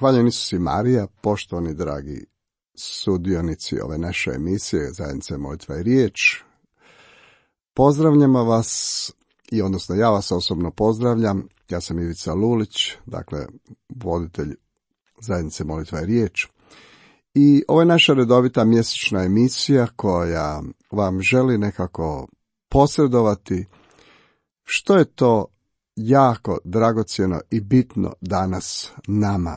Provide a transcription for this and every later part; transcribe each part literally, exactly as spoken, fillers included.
Hvaljen Isus i Marija, poštovani dragi sudionici ove naše emisije Zajednice molitva i riječ. Pozdravljamo vas, i odnosno ja vas osobno pozdravljam. Ja sam Ivica Lulić, dakle voditelj Zajednice molitva i riječ. I ovo je naša redovita mjesečna emisija koja vam želi nekako posredovati što je to jako dragocjeno i bitno danas nama.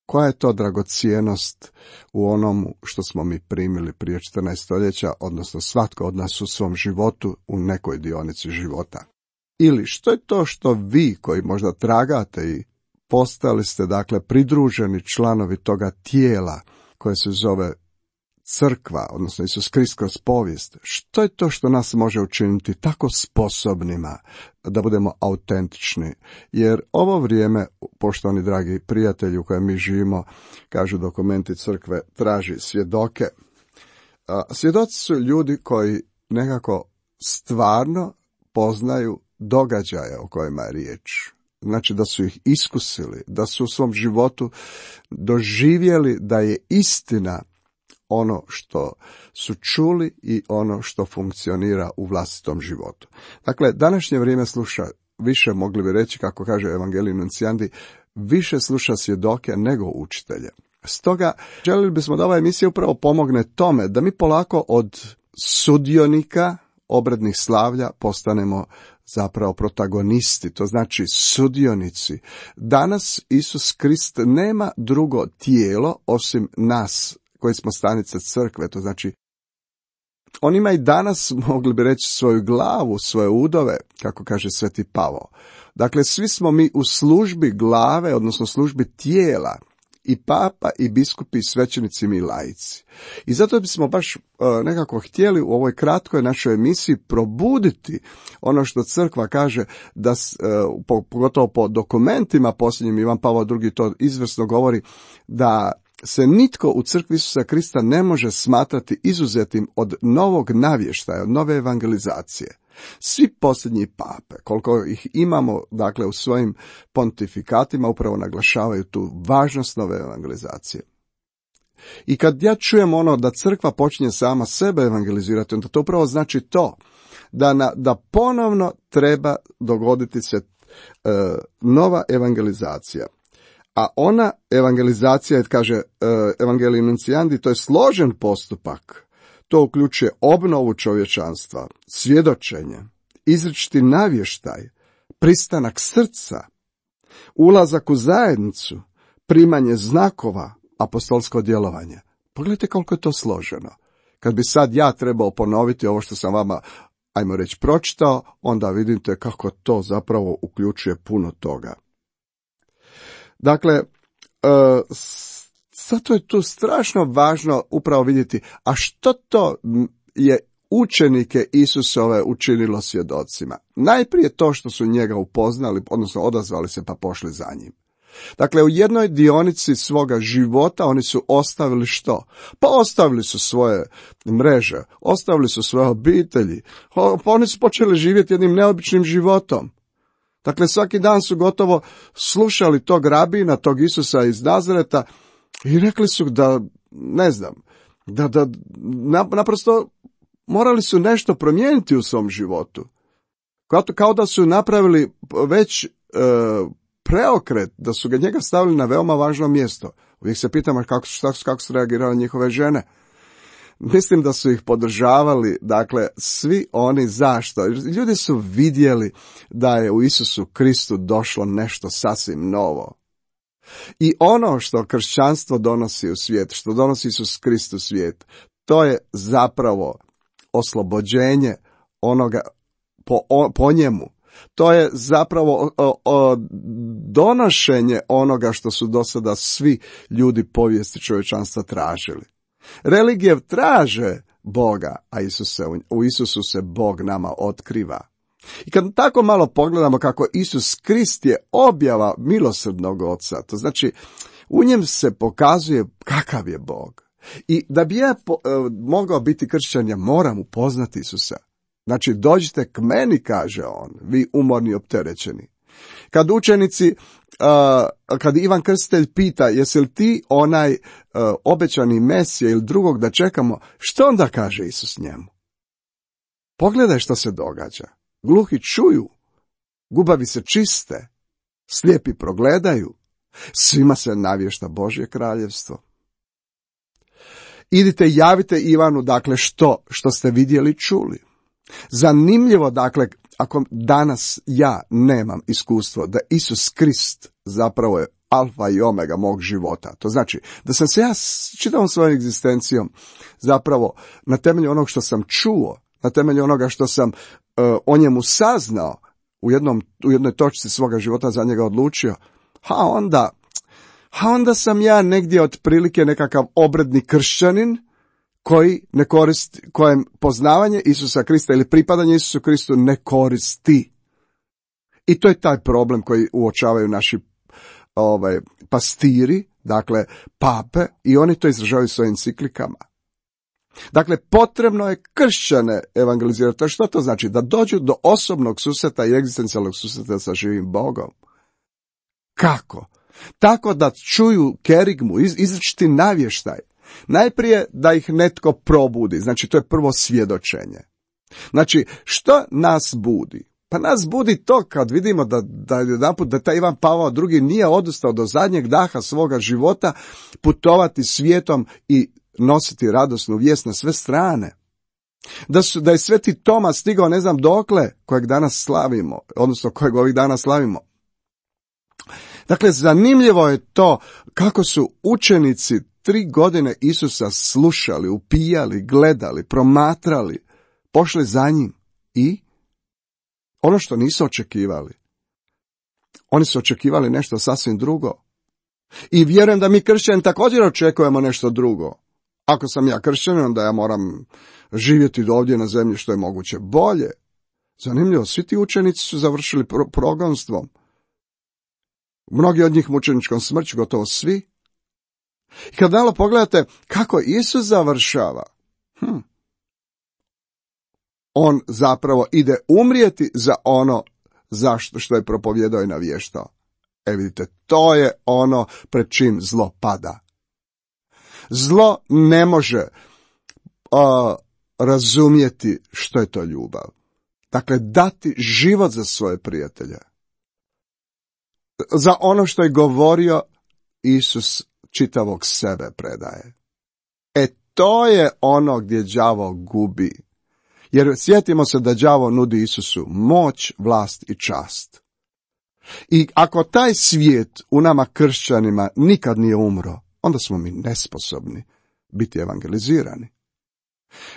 Koja je to dragocjenost u onom što smo mi primili prije četrnaest stoljeća, odnosno svatko od nas u svom životu, u nekoj dionici života. Ili što je to što vi, koji možda tragate i postali ste dakle pridruženi članovi toga tijela koje se zove crkva, odnosno Isus Krist kroz povijest, što je to što nas može učiniti tako sposobnima da budemo autentični? Jer ovo vrijeme, poštovani dragi prijatelji u kojem mi živimo, kažu dokumenti crkve, traži svjedoke. Svjedoci su ljudi koji nekako stvarno poznaju događaje o kojima je riječ. Znači da su ih iskusili, da su u svom životu doživjeli da je istina ono što su čuli i ono što funkcionira u vlastitom životu. Dakle, današnje vrijeme sluša više, mogli bi reći, kako kaže Evangelij Nunciandi, više sluša svjedoke nego učitelje. Stoga, željeli bismo da ova emisija upravo pomogne tome da mi polako od sudionika obrednih slavlja postanemo zapravo protagonisti, to znači sudionici. Danas Isus Krist nema drugo tijelo osim nas koji smo stanice crkve, to znači on ima i danas, mogli bi reći, svoju glavu, svoje udove, kako kaže Sveti Pavao. Dakle, svi smo mi u službi glave, odnosno službi tijela, i papa, i biskupi, i svećenici, mi laici. I zato bismo baš uh, nekako htjeli u ovoj kratkoj našoj emisiji probuditi ono što crkva kaže, da uh, po, pogotovo po dokumentima posljednjim, Ivan Pavao drugi to izvrsno govori, da se nitko u crkvi Isusa Krista ne može smatrati izuzetim od novog navještaja, od nove evangelizacije. Svi posljednji pape, koliko ih imamo, dakle, u svojim pontifikatima, upravo naglašavaju tu važnost nove evangelizacije. I kad ja čujem ono da crkva počinje sama sebe evangelizirati, onda to upravo znači to, da, na, da ponovno treba dogoditi se e, nova evangelizacija. A ona evangelizacija, kaže Evangelij Nunciandi, to je složen postupak. To uključuje obnovu čovječanstva, svjedočenje, izričiti navještaj, pristanak srca, ulazak u zajednicu, primanje znakova, apostolsko djelovanje. Pogledajte koliko je to složeno. Kad bi sad ja trebao ponoviti ovo što sam vama, ajmo reći, pročitao, onda vidite kako to zapravo uključuje puno toga. Dakle, zato je tu strašno važno upravo vidjeti, a što to je učenike Isusove učinilo svjedocima? Najprije to što su njega upoznali, odnosno odazvali se pa pošli za njim. Dakle, u jednoj dionici svoga života oni su ostavili što? Pa ostavili su svoje mreže, ostavili su svoje obitelji, pa oni su počeli živjeti jednim neobičnim životom. Dakle, svaki dan su gotovo slušali tog rabina, tog Isusa iz Nazareta i rekli su da, ne znam, da, da naprosto morali su nešto promijeniti u svom životu. Kao, kao da su napravili već e, preokret, da su ga njega stavili na veoma važno mjesto. Uvijek se pitamo kako, šta, kako su reagirale njihove žene. Mislim da su ih podržavali, dakle, svi oni. Zašto? Ljudi su vidjeli da je u Isusu Kristu došlo nešto sasvim novo. I ono što kršćanstvo donosi u svijet, što donosi Isus Krist u svijet, to je zapravo oslobođenje onoga po, o, po njemu. To je zapravo o, o, donošenje onoga što su do sada svi ljudi povijesti čovječanstva tražili. Religije traže Boga, a Isuse, u Isusu se Bog nama otkriva. I kad tako malo pogledamo kako Isus Krist je objava milosrdnog Oca, to znači u njem se pokazuje kakav je Bog. I da bi ja po, e, mogao biti kršćan, ja moram upoznati Isusa. Znači, dođite k meni, kaže on, vi umorni opterećeni. Kad učenici, uh, kad Ivan Krstitelj pita jesi li ti onaj uh, obećani Mesija ili drugog da čekamo, što onda kaže Isus njemu? Pogledaj što se događa. Gluhi čuju, gubavi se čiste, slijepi progledaju, svima se navješta Božje kraljevstvo. Idite i javite Ivanu, dakle, što, što ste vidjeli, čuli. Zanimljivo, dakle, ako danas ja nemam iskustvo da Isus Krist zapravo je alfa i omega mog života. To znači da sam se ja čitavom svojom egzistencijom zapravo na temelju onog što sam čuo, na temelju onoga što sam uh, o njemu saznao, u, jednom, u jednoj točci svoga života za njega odlučio, ha onda, ha onda sam ja negdje otprilike nekakav obredni kršćanin koji ne koristi, kojem poznavanje Isusa Krista ili pripadanje Isusu Kristu ne koristi. I to je taj problem koji uočavaju naši ovaj, pastiri, dakle pape, i oni to izražavaju svojim enciklikama. Dakle, potrebno je kršćane evangelizirati. To što to znači? Da dođu do osobnog susreta i egzistencijalnog susreta sa živim Bogom. Kako? Tako da čuju kerigmu, iz, izričiti navještaj. Najprije da ih netko probudi, znači to je prvo svjedočenje. Znači, što nas budi? Pa nas budi to kad vidimo da, da, jedanput, da taj Ivan Pavao drugi nije odustao do zadnjeg daha svoga života putovati svijetom i nositi radosnu vijest na sve strane. Da, su, da je Sveti Toma stigao ne znam dokle, kojeg danas slavimo, odnosno kojeg ovih dana slavimo. Dakle, zanimljivo je to kako su učenici tri godine Isusa slušali, upijali, gledali, promatrali, pošli za njim i ono što nisu očekivali. Oni su očekivali nešto sasvim drugo. I vjerujem da mi kršćani također očekujemo nešto drugo. Ako sam ja kršćanin, onda ja moram živjeti ovdje na zemlji što je moguće bolje. Zanimljivo, svi ti učenici su završili pro- progonstvom. Mnogi od njih mučeničkom smrću, gotovo svi. I kad malo pogledate kako Isus završava, hm, on zapravo ide umrijeti za ono zašto što je propovjedao i navještao. E vidite, to je ono pred čim zlo pada. Zlo ne može uh, razumjeti što je to ljubav. Dakle, dati život za svoje prijatelje. Za ono što je govorio, Isus čitavog sebe predaje. E to je ono gdje đavo gubi. Jer sjetimo se da đavo nudi Isusu moć, vlast i čast. I ako taj svijet u nama kršćanima nikad nije umro, onda smo mi nesposobni biti evangelizirani.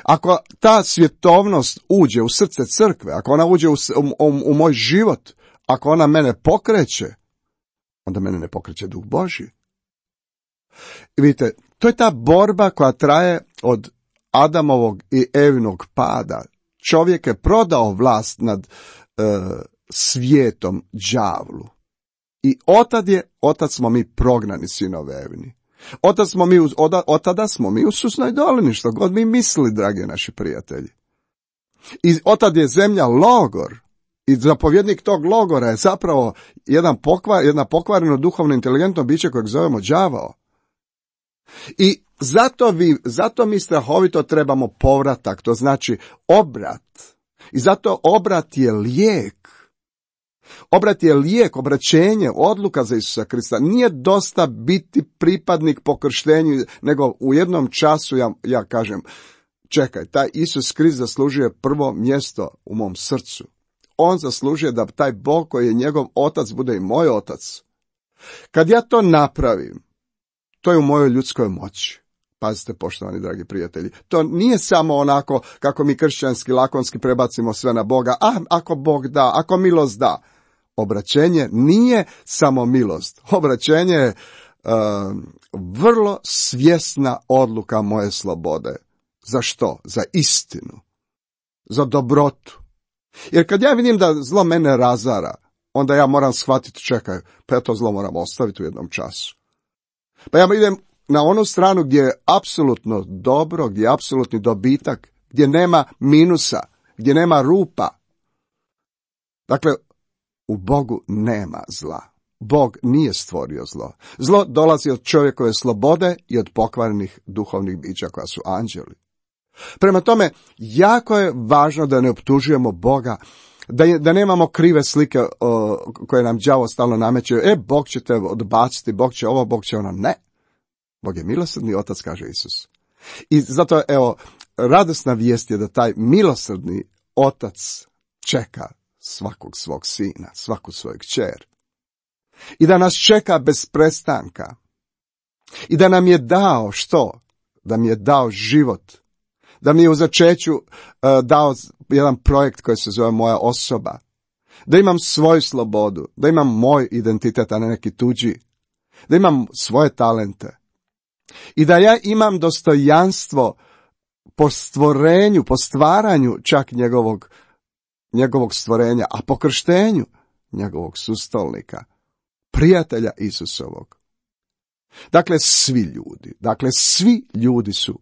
Ako ta svjetovnost uđe u srce crkve, ako ona uđe u, u, u moj život, ako ona mene pokreće, onda mene ne pokreće Duh Božji. I vidite, to je ta borba koja traje od Adamovog i Evinog pada. Čovjek je prodao vlast nad e, svijetom đavlu. I otad je, otad smo mi prognani sinovi Evini. Otad smo mi, od, otada smo mi u Susnoj dolini, što god mi mislili, dragi naši prijatelji. I otad je zemlja logor. I zapovjednik tog logora je zapravo jedan pokvar, jedna pokvareno duhovno inteligentno biće kojeg zovemo đavao. I zato, vi, zato mi strahovito trebamo povratak, to znači obrat. I zato obrat je lijek. Obrat je lijek, obraćenje, odluka za Isusa Krista. Nije dosta biti pripadnik po krštenju, nego u jednom času ja, ja kažem, čekaj, taj Isus Krist zaslužuje prvo mjesto u mom srcu. On zaslužuje da taj Bog koji je njegov otac bude i moj otac. Kad ja to napravim, to je u mojoj ljudskoj moći. Pazite, poštovani dragi prijatelji, to nije samo onako kako mi kršćanski lakonski prebacimo sve na Boga, a ako Bog da, ako milost da. Obraćenje nije samo milost. Obraćenje je uh, vrlo svjesna odluka moje slobode. Za što? Za istinu. Za dobrotu. Jer kad ja vidim da zlo mene razara, onda ja moram shvatiti, čekaj, pa ja to zlo moram ostaviti u jednom času. Pa ja idem na onu stranu gdje je apsolutno dobro, gdje je apsolutni dobitak, gdje nema minusa, gdje nema rupa. Dakle, U Bogu nema zla. Bog nije stvorio zlo. Zlo dolazi od čovjekove slobode i od pokvarenih duhovnih bića koja su anđeli. Prema tome, jako je važno da ne optužujemo Boga, da, je, da nemamo krive slike o, koje nam đavo stalno nameće. E, Bog će te odbaciti, Bog će ovo, Bog će ono. Ne. Bog je milosrdni otac, kaže Isus. I zato, evo, radosna vijest je da taj milosrdni otac čeka svakog svog sina, svaku svoju kćer. I da nas čeka bez prestanka. I da nam je dao što? Da mi je dao život. Da mi je u začeću uh, dao jedan projekt koji se zove moja osoba. Da imam svoju slobodu. Da imam moj identitet, a ne neki tuđi. Da imam svoje talente. I da ja imam dostojanstvo po stvorenju, po stvaranju čak njegovog, njegovog stvorenja, a po krštenju njegovog sustolnika, prijatelja Isusovog. Dakle, svi ljudi, dakle, svi ljudi su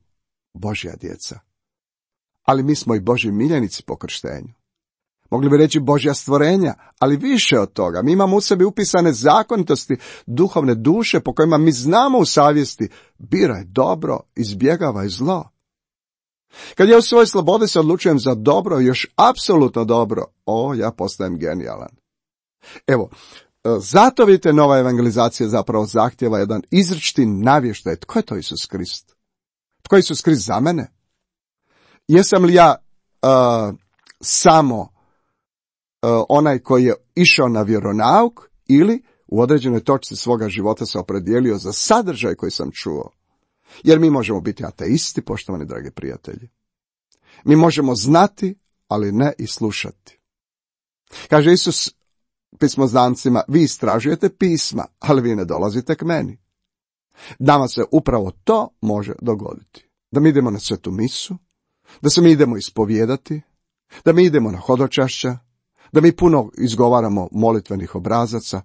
Božja djeca. Ali mi smo i Božji miljenici po krštenju. Mogli bi reći Božja stvorenja, ali više od toga. Mi imamo u sebi upisane zakonitosti duhovne duše po kojima mi znamo u savjesti biraj dobro, izbjegavaj zlo. Kad ja u svojoj slobodi se odlučujem za dobro, još apsolutno dobro, o, ja postajem genijalan. Evo, zato vidite, nova evangelizacija zapravo zahtjeva jedan izričiti navještaj. Tko je to Isus Krist? Tko je Isus Krist za mene? Jesam li ja uh, samo uh, onaj koji je išao na vjeronauk ili u određenoj točci svoga života se opredijelio za sadržaj koji sam čuo? Jer mi možemo biti ateisti, poštovani dragi prijatelji. Mi možemo znati, ali ne i slušati. Kaže Isus pismoznancima, vi istražujete pisma, ali vi ne dolazite k meni. Nama se upravo to može dogoditi. Da mi idemo na svetu misu, da se mi idemo ispovijedati, da mi idemo na hodočašća, da mi puno izgovaramo molitvenih obrazaca,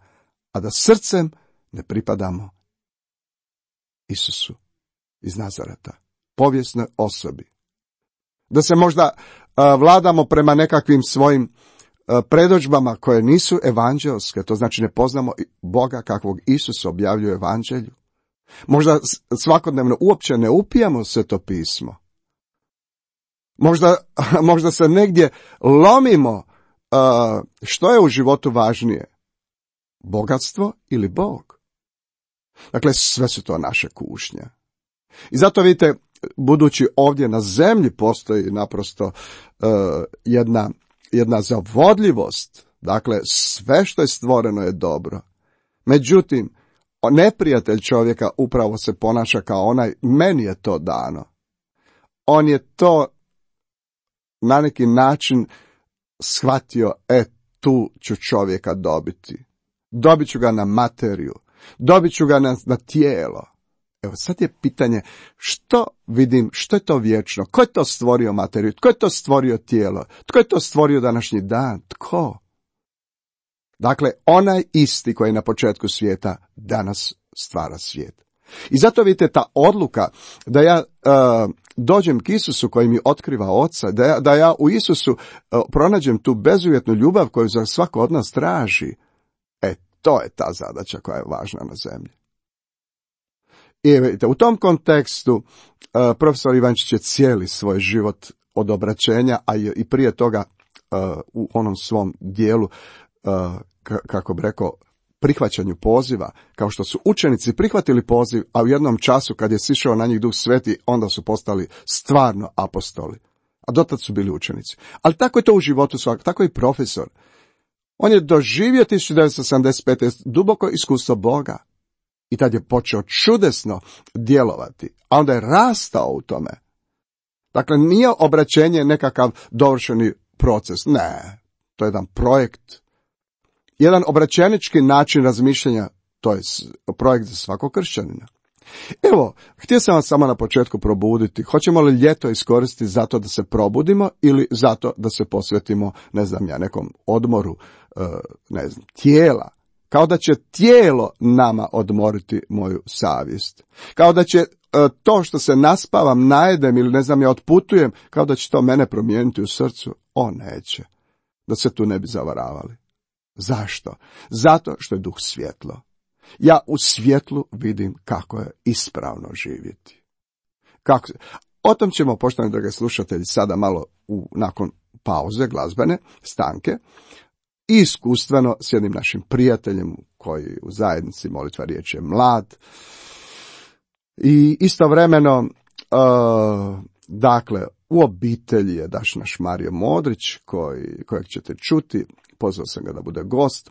a da srcem ne pripadamo Isusu iz Nazareta, povijesnoj osobi. Da se možda uh, vladamo prema nekakvim svojim uh, predodžbama koje nisu evanđelske, to znači ne poznamo Boga kakvog Isus objavljuje evanđelju. Možda svakodnevno uopće ne upijamo Sveto pismo. Možda, možda se negdje lomimo uh, što je u životu važnije, bogatstvo ili Bog. Dakle, sve su to naše kušnje. I zato vidite, budući ovdje na zemlji postoji naprosto uh, jedna, jedna zavodljivost, dakle sve što je stvoreno je dobro. Međutim, neprijatelj čovjeka upravo se ponaša kao onaj, meni je to dano. On je to na neki način shvatio, e, tu ću čovjeka dobiti. Dobit ću ga na materiju, dobit ću ga na, na tijelo. Evo sad je pitanje, što vidim, što je to vječno? Ko je to stvorio materiju? Tko je to stvorio tijelo? Tko je to stvorio današnji dan? Tko? Dakle, onaj isti koji je na početku svijeta danas stvara svijet. I zato vidite ta odluka da ja uh, dođem k Isusu koji mi otkriva Oca, da ja, da ja u Isusu uh, pronađem tu bezuvjetnu ljubav koju za svako od nas traži. E, to je ta zadaća koja je važna na zemlji. I vidite, u tom kontekstu uh, profesor Ivančić je cijeli svoj život od obraćenja, a i prije toga uh, u onom svom dijelu, uh, k- kako bi rekao, prihvaćanju poziva, kao što su učenici prihvatili poziv, a u jednom času kad je sišao na njih Duh Sveti, onda su postali stvarno apostoli. A dotad su bili učenici. Ali tako je to u životu svakog, tako i profesor. On je doživio tisuću devetsto sedamdeset pete duboko iskustvo Boga. I tad je počeo čudesno djelovati, a onda je rastao u tome. Dakle, nije obraćenje nekakav dovršeni proces, ne, to je jedan projekt. Jedan obraćenički način razmišljanja, to je projekt za svakog kršćanina. Evo, htio sam vas samo na početku probuditi. Hoćemo li ljeto iskoristiti zato da se probudimo ili zato da se posvetimo, ne znam ja, nekom odmoru, ne znam, tijela? Kao da će tijelo nama odmoriti moju savjest. Kao da će to što se naspavam, najedem ili ne znam ja otputujem, kao da će to mene promijeniti u srcu. O, neće. Da se tu ne bi zavaravali. Zašto? Zato što je duh svjetlo. Ja u svjetlu vidim kako je ispravno živjeti. Kako... O tom ćemo, poštovani dragi slušatelji, sada malo u, nakon pauze glazbene, stanke, i iskustveno s jednim našim prijateljem koji u zajednici Molitva riječi je mlad. I istovremeno, uh, dakle, u obitelji je daš naš Mario Modrić, koji, kojeg ćete čuti, pozvao sam ga da bude gost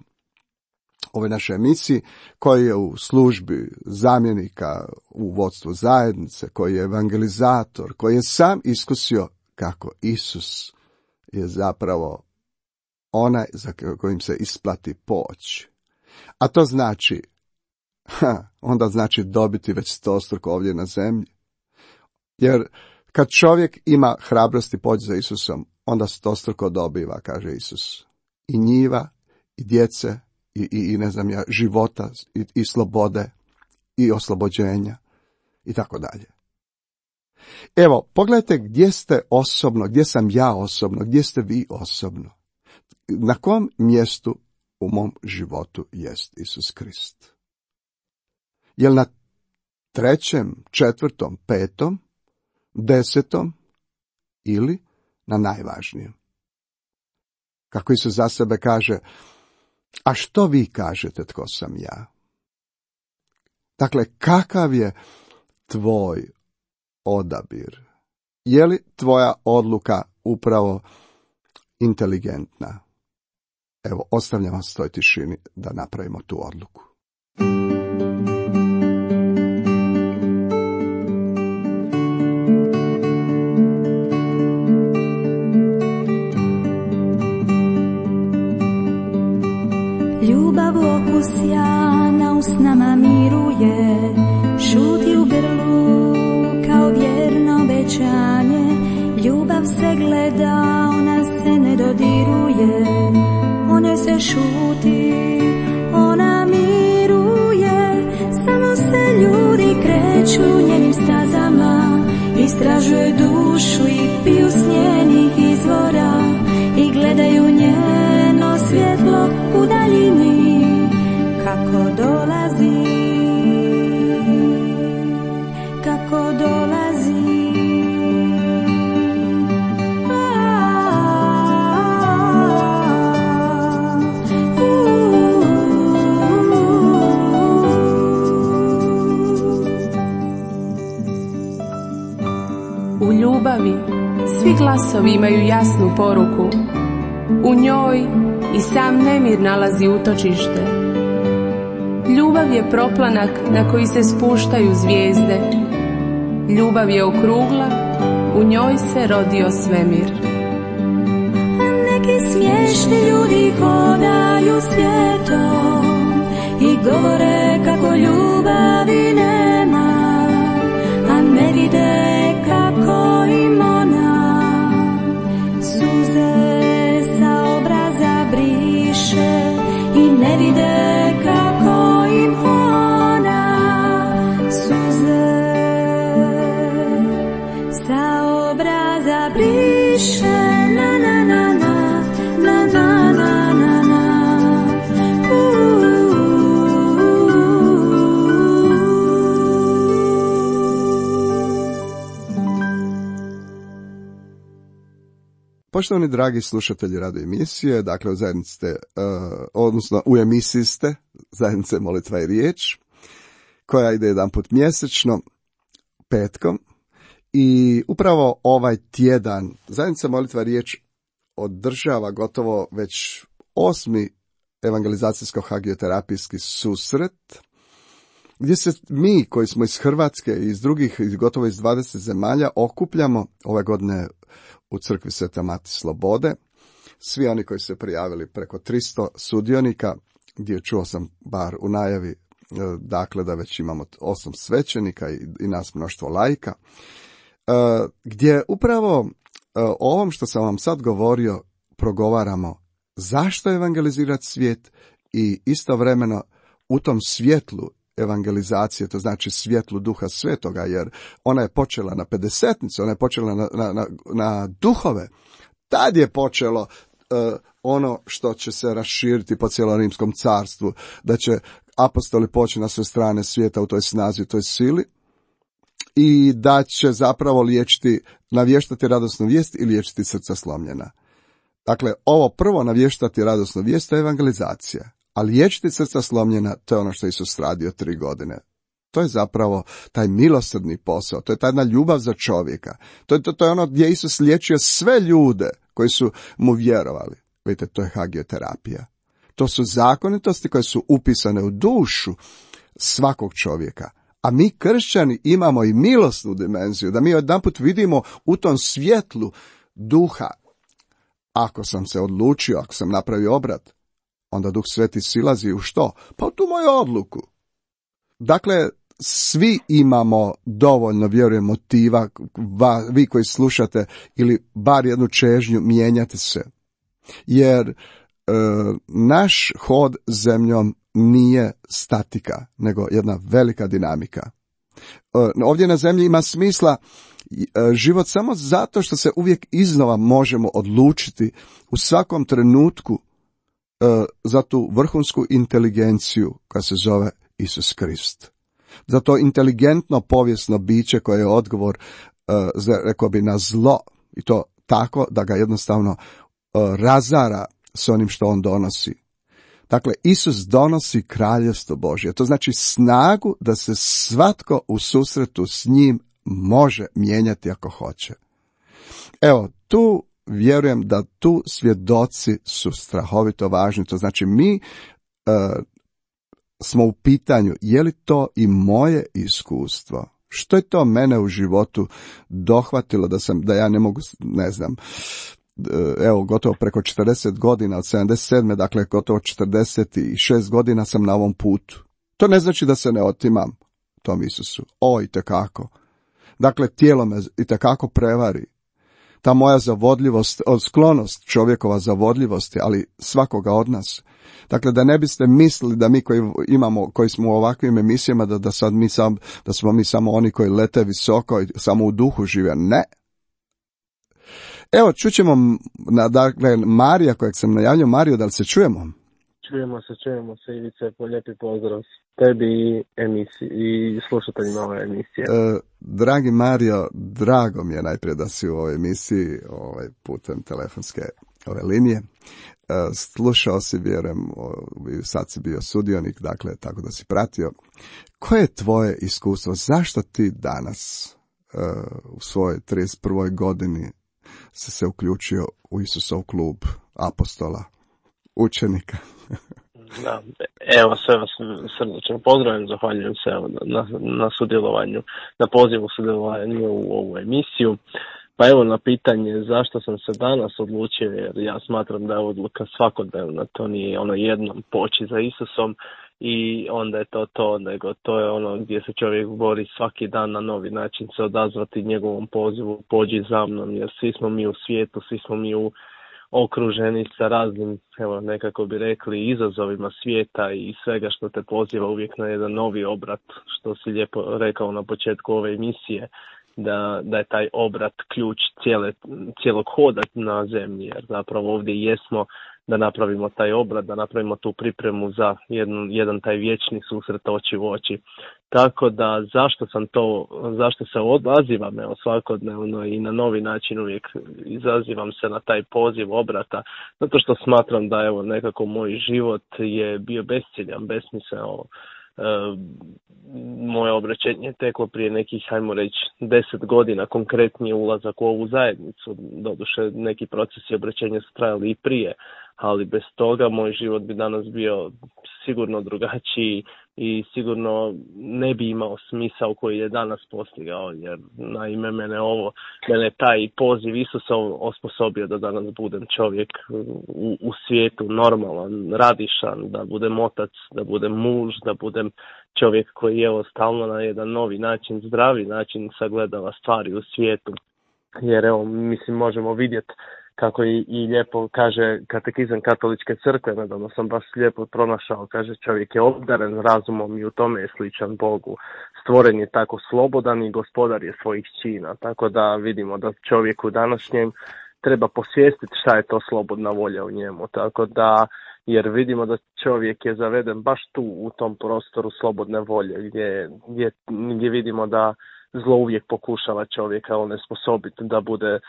ove naše emisiji, koji je u službi zamjenika u vodstvu zajednice, koji je evangelizator, koji je sam iskusio kako Isus je zapravo onaj za kojim se isplati poći. A to znači, ha, onda znači dobiti već stostruko ovdje na zemlji. Jer kad čovjek ima hrabrosti poći za Isusom, onda stostruko dobiva, kaže Isus. I njiva, i djece, i, i, i ne znam ja, života, i, i slobode, i oslobođenja, i tako dalje. Evo, pogledajte gdje ste osobno, gdje sam ja osobno, gdje ste vi osobno. Na kom mjestu u mom životu jest Isus Krist? Jel na trećem, četvrtom, petom, desetom ili na najvažnijem? Kako Isus za sebe kaže, a što vi kažete tko sam ja? Dakle, kakav je tvoj odabir? Je li tvoja odluka upravo inteligentna? Evo, ostavljam vas toj tišini da napravimo tu odluku. Ljubav okus sjana usnama miruje, šuti u grlu kao vjerno obećanje. Ljubav se gleda, ona se ne dodiruje, o njoj se šuti, ona miruje. Samo se ljudi kreću njenim stazama, istražuju dušu i piju s njenih izvora i gledaju njeno svjetlo u daljini kako dolazi, kako dolazi. U ljubavi svi glasovi imaju jasnu poruku. U njoj i sam nemir nalazi utočište. Ljubav je proplanak na koji se spuštaju zvijezde. Ljubav je okrugla, u njoj se rodio svemir. Neki smiješni ljudi hodaju svijetom i govore kako ljubavi nema, a ne vide kako im ona suze sa obraza briše i ne vide kako im ona suze sa obraza briše. Na na na na na na na na na. Poštovani dragi slušatelji radio emisije, dakle u zajednici ste, uh, odnosno u emisiji ste zajednice Molitva i riječ, koja ide jedan put mjesečno, petkom, i upravo ovaj tjedan zajednica Molitva i riječ održava gotovo već osmi evangelizacijsko-hagioterapijski susret, gdje se mi koji smo iz Hrvatske i iz drugih, gotovo iz dvadeset zemalja, okupljamo ove godine u crkvi Svete Mati Slobode. Svi oni koji su se prijavili, preko tristo sudionika, gdje čuo sam bar u najavi, dakle da već imamo osam svećenika i, i nas mnoštvo laika, gdje upravo o ovom što sam vam sad govorio progovaramo zašto evangelizirati svijet i istovremeno u tom svjetlu evangelizacije, to znači svjetlu Duha Svetoga, jer ona je počela na pedesetnicu, ona je počela na, na, na, na duhove. Tad je počelo uh, ono što će se raširiti po cijelom rimskom carstvu, da će apostoli poći na sve strane svijeta u toj snazi, u toj sili, i da će zapravo liječiti, navještati radosnu vijest i liječiti srca slomljena. Dakle, ovo prvo, navještati radosnu vijest, to je evangelizacija, a liječiti srca slomljena, to je ono što je Isus radio tri godine. To je zapravo taj milosrdni posao, to je ta jedna ljubav za čovjeka. To je, to, to je ono gdje Isus liječio sve ljude koji su mu vjerovali. Vidite, to je hagioterapija. To su zakonitosti koje su upisane u dušu svakog čovjeka. A mi kršćani imamo i milosnu dimenziju, da mi jedanput vidimo u tom svjetlu duha. Ako sam se odlučio, ako sam napravio obrat, onda Duh Sveti silazi u što? Pa u tu moju odluku. Dakle, svi imamo dovoljno, vjerujem, motiva, vi koji slušate, ili bar jednu čežnju, mijenjati se. Jer e, naš hod zemljom nije statika, nego jedna velika dinamika. E, ovdje na zemlji ima smisla e, život samo zato što se uvijek iznova možemo odlučiti u svakom trenutku e, za tu vrhunsku inteligenciju koja se zove Isus Krist. Za to inteligentno povijesno biće koje je odgovor, e, za, rekao bi, na zlo, i to tako da ga jednostavno e, razara s onim što on donosi. Dakle, Isus donosi kraljevstvo Božje. To znači snagu da se svatko u susretu s njim može mijenjati ako hoće. Evo, tu vjerujem da tu svjedoci su strahovito važni. To znači mi e, smo u pitanju, je li to i moje iskustvo? Što je to mene u životu dohvatilo da sam, da ja ne mogu, ne znam, evo, gotovo preko četrdeset godina, od sedamdeset sedme, dakle gotovo četrdeset šest godina sam na ovom putu. To ne znači da se ne otimam tom Isusu. O, itekako. Dakle, tijelo me itekako prevari. Ta moja zavodljivost, sklonost čovjekova zavodljivosti, ali svakoga od nas. Dakle, da ne biste mislili da mi koji imamo, koji smo u ovakvim emisijama, da, da, sad mi sam, da smo mi samo oni koji lete visoko i samo u duhu žive. Ne. Evo, čućemo, na, dakle, Marija, kojeg sam najavljao. Mario, da li se čujemo? Čujemo se, čujemo se, Ivice, po lijepi pozdrav tebi i, emisiji, i slušateljima ove emisije. E, dragi Mario, drago mi je najprije da si u ovoj emisiji, ovaj, putem telefonske ove linije. E, slušao si, vjerujem, sad si bio sudionik, dakle, tako da si pratio. Koje je tvoje iskustvo? Zašto ti danas, e, u svojoj trideset prvoj godini, si se uključio u Isusov klub apostola, učenika? Da, evo, sve vas srdačno pozdravljam, zahvaljujem se evo, na, na sudjelovanju, na pozivu sudjelovanju u ovu emisiju. Pa evo, na pitanje zašto sam se danas odlučio, jer ja smatram da je odluka svakodnevna, to nije ono jednom poći za Isusom i onda je to to, nego to je ono gdje se čovjek bori svaki dan na novi način se odazvati njegovom pozivu, pođi za mnom, jer svi smo mi u svijetu, svi smo mi u okruženi sa raznim, evo nekako bi rekli, izazovima svijeta i svega što te poziva uvijek na jedan novi obrat, što si lijepo rekao na početku ove emisije, da, da je taj obrat ključ cijele, cijelog hoda na zemlji, jer zapravo ovdje jesmo da napravimo taj obrat, da napravimo tu pripremu za jedan, jedan taj vječni susret oči u oči. Tako da zašto sam to, zašto se odazivam evo svakodnevno i na novi način uvijek izazivam se na taj poziv obrata, zato što smatram da evo nekako moj život je bio besciljan, besmisleno. E, moje obraćenje teklo prije nekih, hajmo reći, deset godina, konkretnije ulazak u ovu zajednicu. Doduše, neki procesi obraćenja su trajali i prije, ali bez toga moj život bi danas bio sigurno drugačiji i sigurno ne bi imao smisao koji je danas postigao, jer naime mene ovo, mene taj poziv Isusa osposobio da danas budem čovjek u, u svijetu normalan, radišan, da budem otac, da budem muž, da budem čovjek koji je stalno na jedan novi način, zdravi način sagledava stvari u svijetu. Jer evo, mislim, možemo vidjeti kako i, i lijepo kaže katekizam katoličke crkve, nedavno sam baš lijepo pronašao, kaže čovjek je obdaren razumom i u tome je sličan Bogu. Stvoren je tako slobodan i gospodar je svojih čina, tako da vidimo da čovjek u današnjem treba posvijestiti šta je to slobodna volja u njemu, tako da, jer vidimo da čovjek je zaveden baš tu u tom prostoru slobodne volje, gdje, gdje, gdje vidimo da zlo uvijek pokušava čovjeka onesposobiti da bude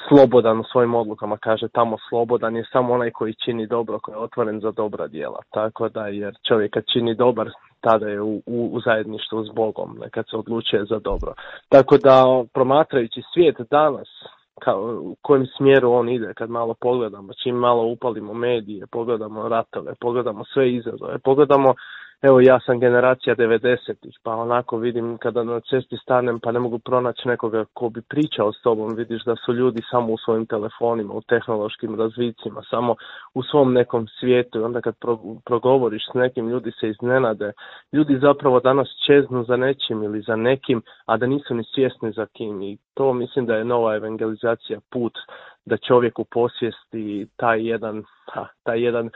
slobodan u svojim odlukama. Kaže tamo slobodan je samo onaj koji čini dobro, koji je otvoren za dobra djela. Tako da, jer čovjek kad čini dobar, tada je u, u, u zajedništvu s Bogom, kad se odlučuje za dobro. Tako da, promatrajući svijet danas, kao, u kojem smjeru on ide, kad malo pogledamo, čim malo upalimo medije, pogledamo ratove, pogledamo sve izazove, pogledamo, evo ja sam generacija devedesetih, pa onako vidim kada na cesti stanem pa ne mogu pronaći nekoga ko bi pričao s tobom, vidiš da su ljudi samo u svojim telefonima, u tehnološkim razvicima, samo u svom nekom svijetu i onda kad pro, progovoriš s nekim, ljudi se iznenade, ljudi zapravo danas čeznu za nečim ili za nekim, a da nisu ni svjesni za kim i to mislim da je nova evangelizacija put da čovjeku posvijesti taj jedan, ha, taj jedan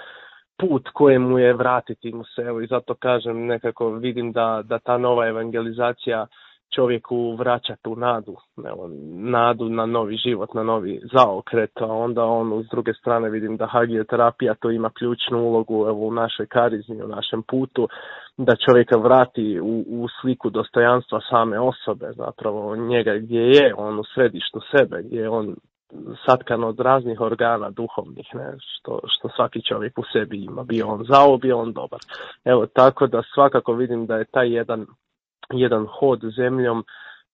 put kojemu je vratiti mu se, evo i zato kažem, nekako vidim da, da ta nova evangelizacija čovjeku vraća tu nadu, evo, nadu na novi život, na novi zaokret, a onda on s druge strane vidim da hagioterapija to ima ključnu ulogu evo, u našoj karizmi, u našem putu, da čovjeka vrati u, u sliku dostojanstva same osobe, zapravo njega gdje je on u središtu sebe, gdje je on satkan od raznih organa duhovnih, ne, što, što svaki čovjek u sebi ima, bio on zao, bio on dobar. Evo, tako da svakako vidim da je taj jedan, jedan hod zemljom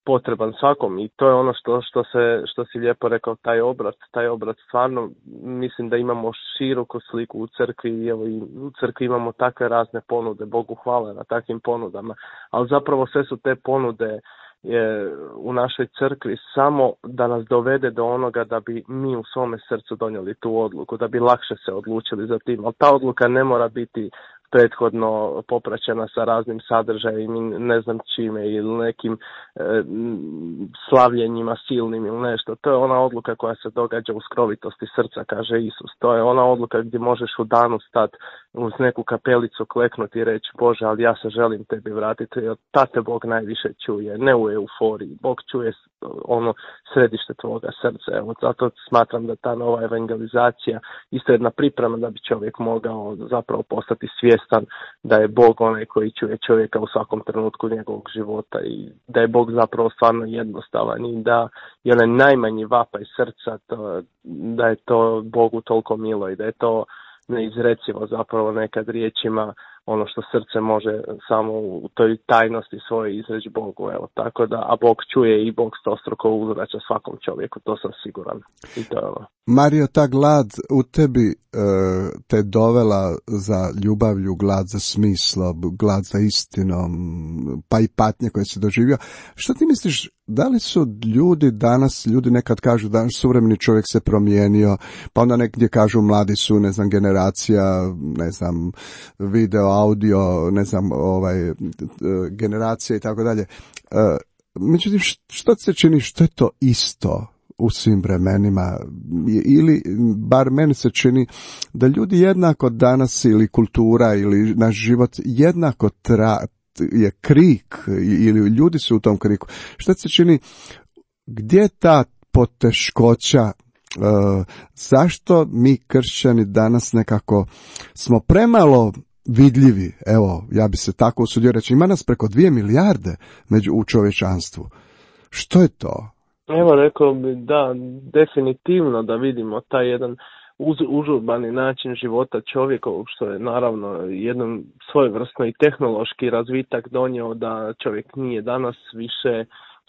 potreban svakom i to je ono što, što, se, što si lijepo rekao, taj obrat, taj obrat stvarno, mislim da imamo široku sliku u crkvi, evo i u crkvi imamo takve razne ponude, Bogu hvala na takvim ponudama, ali zapravo sve su te ponude je u našoj crkvi samo da nas dovede do onoga da bi mi u svome srcu donijeli tu odluku, da bi lakše se odlučili za tim, ali ta odluka ne mora biti prethodno popraćena sa raznim sadržajima, ne znam čime, ili nekim e, slavljenjima silnim ili nešto. To je ona odluka koja se događa u skrovitosti srca, kaže Isus. To je ona odluka gdje možeš u danu stati uz neku kapelicu, kleknuti i reći Bože, ali ja se želim tebi vratiti, jer ta te Bog najviše čuje, ne u euforiji. Bog čuje ono središte tvoga srca. Evo, zato smatram da ta nova evangelizacija isto jedna priprema da bi čovjek mogao zapravo postati svjestan da je Bog onaj koji čuje čovjeka u svakom trenutku njegovog života i da je Bog zapravo stvarno jednostavan i da je onaj najmanji vapaj srca, to, da je to Bogu toliko milo i da je to neizrecivo zapravo nekad riječima ono što srce može samo u toj tajnosti svoje izreći Bogu, evo, tako da, a Bog čuje i Bog stostruko uzvraća svakom čovjeku, to sam siguran. I to je ono. Mario, ta glad u tebi e, te dovela za ljubavlju, glad za smislom, glad za istinom, pa i patnje koje si doživio. Što ti misliš, da li su ljudi danas, ljudi nekad kažu da suvremeni čovjek se promijenio, pa onda negdje kažu mladi su, ne znam, generacija, ne znam, video, audio, ne znam, ovaj, generacija i tako dalje. Međutim, što se čini, što je to isto u svim vremenima, ili bar meni se čini da ljudi jednako danas ili kultura ili naš život jednako tra, je krik ili ljudi su u tom kriku. Što se čini, gdje je ta poteškoća, uh, zašto mi kršćani danas nekako smo premalo vidljivi, evo, ja bi se tako usudio reći, ima nas preko dvije milijarde među u čovječanstvu. Što je to? Evo, rekao bi da, definitivno da vidimo taj jedan uz, užurbani način života čovjekovog, što je naravno jedan svojevrsno i tehnološki razvitak donio da čovjek nije danas više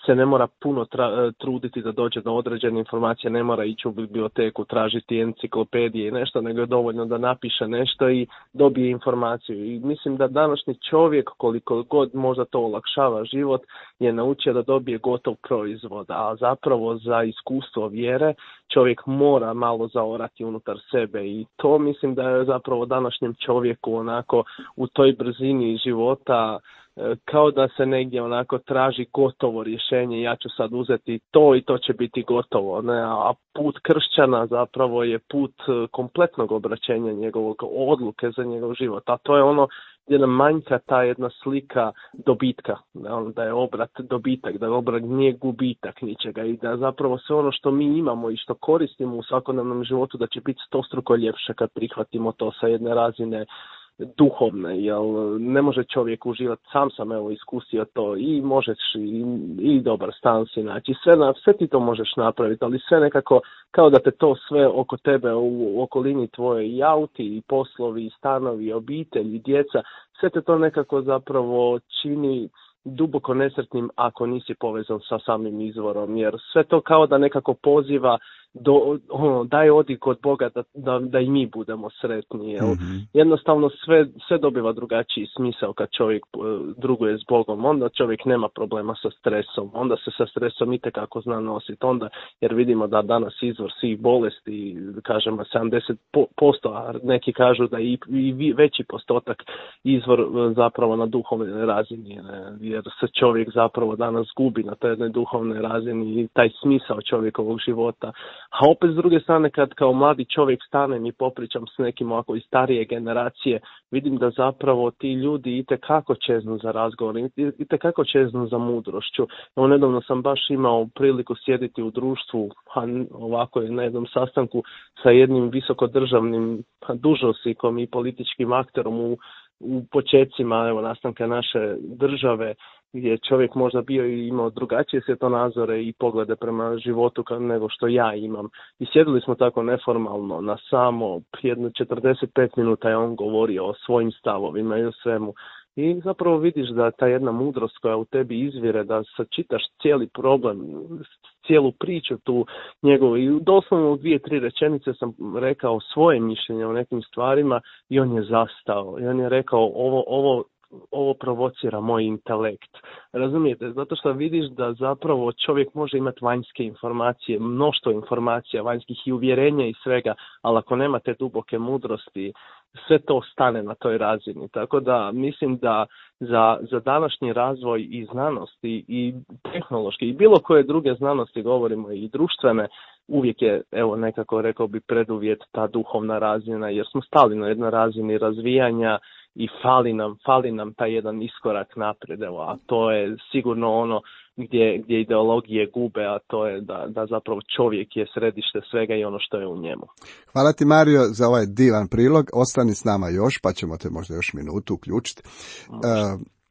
se ne mora puno tra, truditi da dođe do određene informacije, ne mora ići u biblioteku, tražiti enciklopedije i nešto, nego je dovoljno da napiše nešto i dobije informaciju. I mislim da današnji čovjek, koliko god možda to olakšava život, je naučio da dobije gotov proizvod, a zapravo za iskustvo vjere čovjek mora malo zaorati unutar sebe i to mislim da je zapravo današnjem čovjeku onako u toj brzini života kao da se negdje onako traži gotovo rješenje, ja ću sad uzeti to i to će biti gotovo, ne? A put kršćana zapravo je put kompletnog obraćenja njegovog odluke za njegov život, a to je ono gdje nam manjka ta jedna slika dobitka, da je obrat dobitak, da je obrat nije gubitak ničega i da zapravo sve ono što mi imamo i što koristimo u svakodnevnom životu da će biti stostruko ljepše kad prihvatimo to sa jedne razine duhovne, jer ne može čovjek uživati, sam sam evo iskusio to i možeš i, i dobar stan si naći, sve, na, sve ti to možeš napraviti, ali sve nekako kao da te to sve oko tebe u, u okolini tvoje i auti i poslovi i stanovi i obitelj i djeca, sve te to nekako zapravo čini duboko nesretnim ako nisi povezan sa samim izvorom, jer sve to kao da nekako poziva do, ono, daj odi kod Boga da, da, da i mi budemo sretni. Jel? Mm-hmm. Jednostavno sve, sve dobiva drugačiji smisao kad čovjek druguje s Bogom, onda čovjek nema problema sa stresom, onda se sa stresom itekako zna nositi, onda jer vidimo da danas izvor svih bolesti, kažemo sedamdeset posto, a neki kažu da i, i veći postotak izvor zapravo na duhovnoj razini, jer se čovjek zapravo danas gubi na toj jednoj duhovnoj razini i taj smisao čovjekovog života. A opet s druge strane kad kao mladi čovjek stanem i popričam s nekim ovako iz starije generacije, vidim da zapravo ti ljudi itekako čeznu za razgovor, itekako čeznu za mudrošću. Evo nedavno sam baš imao priliku sjediti u društvu, a ovako je na jednom sastanku sa jednim visokodržavnim dužnosnikom i političkim akterom u, u početcima evo, nastanka naše države, gdje je čovjek možda bio i imao drugačije svjetonazore i poglede prema životu nego što ja imam. I sjedili smo tako neformalno na samo jedno četrdeset pet minuta je on govorio o svojim stavovima i o svemu. I zapravo vidiš da ta jedna mudrost koja u tebi izvire, da sačitaš cijeli problem, cijelu priču tu njegovu. I doslovno u dvije, tri rečenice sam rekao svoje mišljenje o nekim stvarima i on je zastao. I on je rekao ovo, ovo ovo provocira moj intelekt. Razumijete? Zato što vidiš da zapravo čovjek može imati vanjske informacije, mnoštvo informacija vanjskih i uvjerenja i svega, ali ako nema te duboke mudrosti, sve to stane na toj razini. Tako da mislim da za, za današnji razvoj i znanosti i tehnološki i bilo koje druge znanosti, govorimo i društvene, uvijek je, evo nekako rekao bi, preduvjet ta duhovna razina, jer smo stali na jednoj razini razvijanja i fali nam, fali nam taj jedan iskorak naprijed, evo, a to je sigurno ono gdje, gdje ideologije gube, a to je da, da zapravo čovjek je središte svega i ono što je u njemu. Hvala ti, Mario, za ovaj divan prilog. Ostani s nama još, pa ćemo te možda još minutu uključiti. Uh,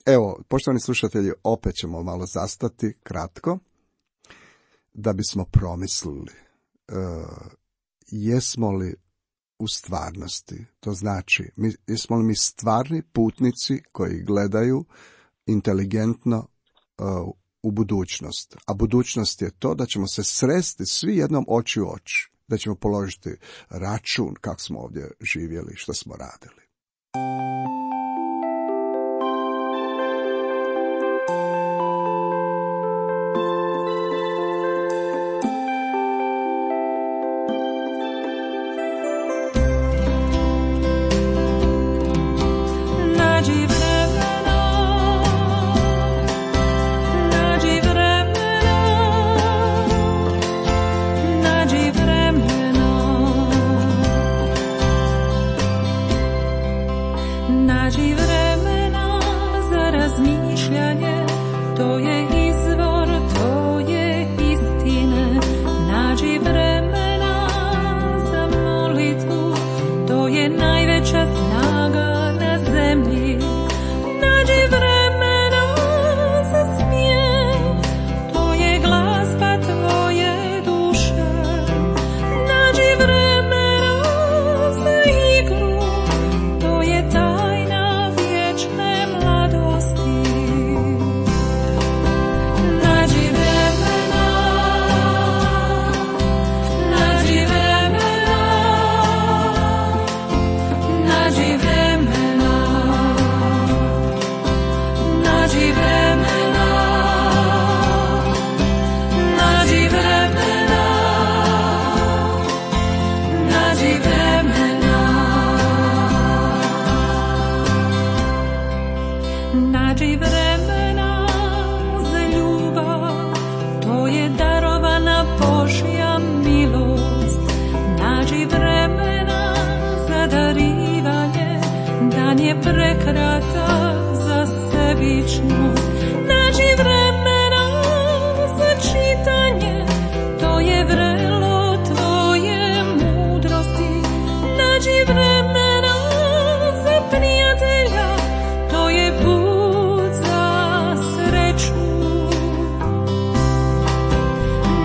evo, poštovani slušatelji, opet ćemo malo zastati kratko, da bismo promislili uh, jesmo li u stvarnosti, to znači, mi, jesmo li mi stvarni putnici koji gledaju inteligentno uh, u budućnost. A budućnost je to da ćemo se sresti svi jednom oči u oči, da ćemo položiti račun kako smo ovdje živjeli, što smo radili. Na nađi vremena za čitanje, to je vrelo tvoje mudrosti, nađi vremena za prijatelja, to je put za sreću.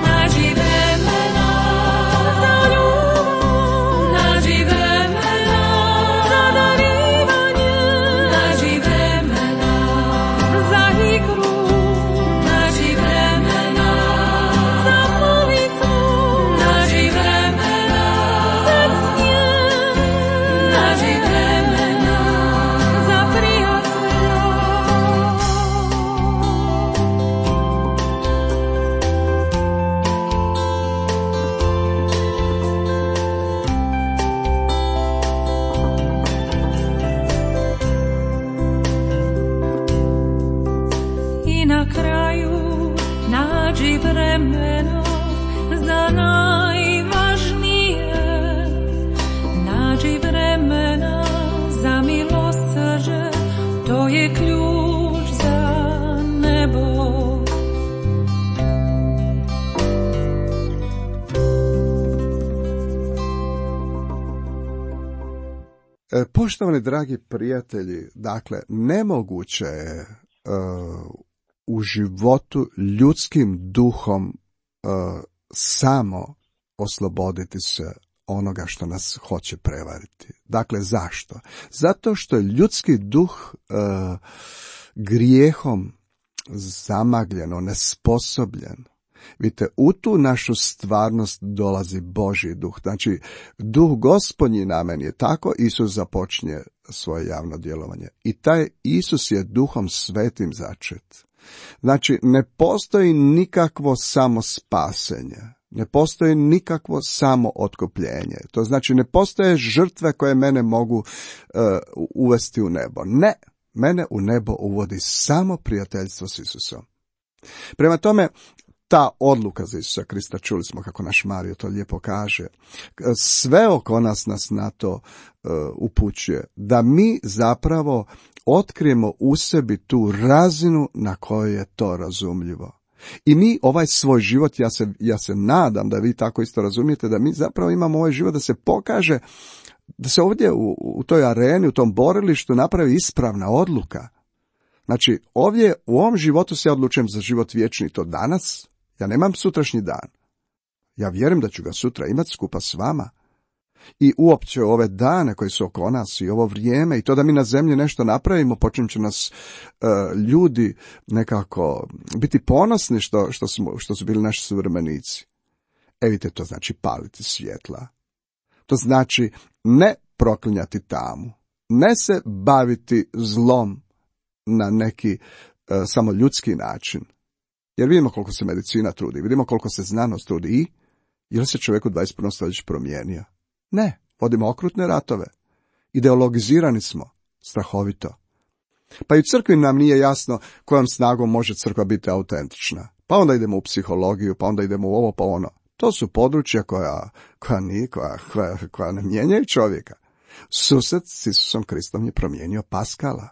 Nađi vremena za ljubav, nađi vremena za darivanje, nađi vremena za igru, nađi vremena za molitvu, nađi vremena za smijem, nađi vremena za prijatelja. I na kraju nađi vremena za najvažnije, nađi vremena za milosrđe, to je ključ za nebo. E, Poštovani dragi prijatelji, dakle, nemoguće je e, u životu ljudskim duhom e, samo osloboditi se onoga što nas hoće prevariti. Dakle, zašto? Zato što je ljudski duh e, grijehom zamagljen, nesposobljen. Vidite, u tu našu stvarnost dolazi Božji duh. Znači, duh Gospodnji na meni je tako, Isus započinje svoje javno djelovanje. I taj Isus je duhom svetim začet. Znači, ne postoji nikakvo samo spasenje. Ne postoji nikakvo samo otkupljenje. To znači, ne postoje žrtve koje mene mogu uh, uvesti u nebo. Ne, mene u nebo uvodi samo prijateljstvo s Isusom. Prema tome, ta odluka za Isusa Krista, čuli smo kako naš Mario to lijepo kaže, sve oko nas nas na to uh, upućuje, da mi zapravo otkrijemo u sebi tu razinu na kojoj je to razumljivo. I mi ovaj svoj život, ja se, ja se nadam da vi tako isto razumijete, da mi zapravo imamo ovaj život da se pokaže, da se ovdje u, u toj areni, u tom borilištu napravi ispravna odluka. Znači, ovdje u ovom životu se ja odlučujem za život vječni, to danas. Ja nemam sutrašnji dan. Ja vjerujem da ću ga sutra imati skupa s vama. I uopće ove dane koji su oko nas i ovo vrijeme i to da mi na zemlji nešto napravimo, počnem će nas uh, ljudi nekako biti ponosni što, što, smo, što su bili naši suvremenici. E vidite, to znači paliti svjetla. To znači ne proklinjati tamu. Ne se baviti zlom na neki uh, samo ljudski način. Jer vidimo koliko se medicina trudi, vidimo koliko se znanost trudi i je li se čovjek u dvadeset prvom stoljeću promijenio? Ne, vodimo okrutne ratove. Ideologizirani smo, strahovito. Pa i u crkvi nam nije jasno kojom snagom može crkva biti autentična. Pa onda idemo u psihologiju, pa onda idemo u ovo, pa ono. To su područja koja, koja, nije, koja, koja, koja ne mijenjaju čovjeka. Susret s Isusom Kristom je promijenio Paskala.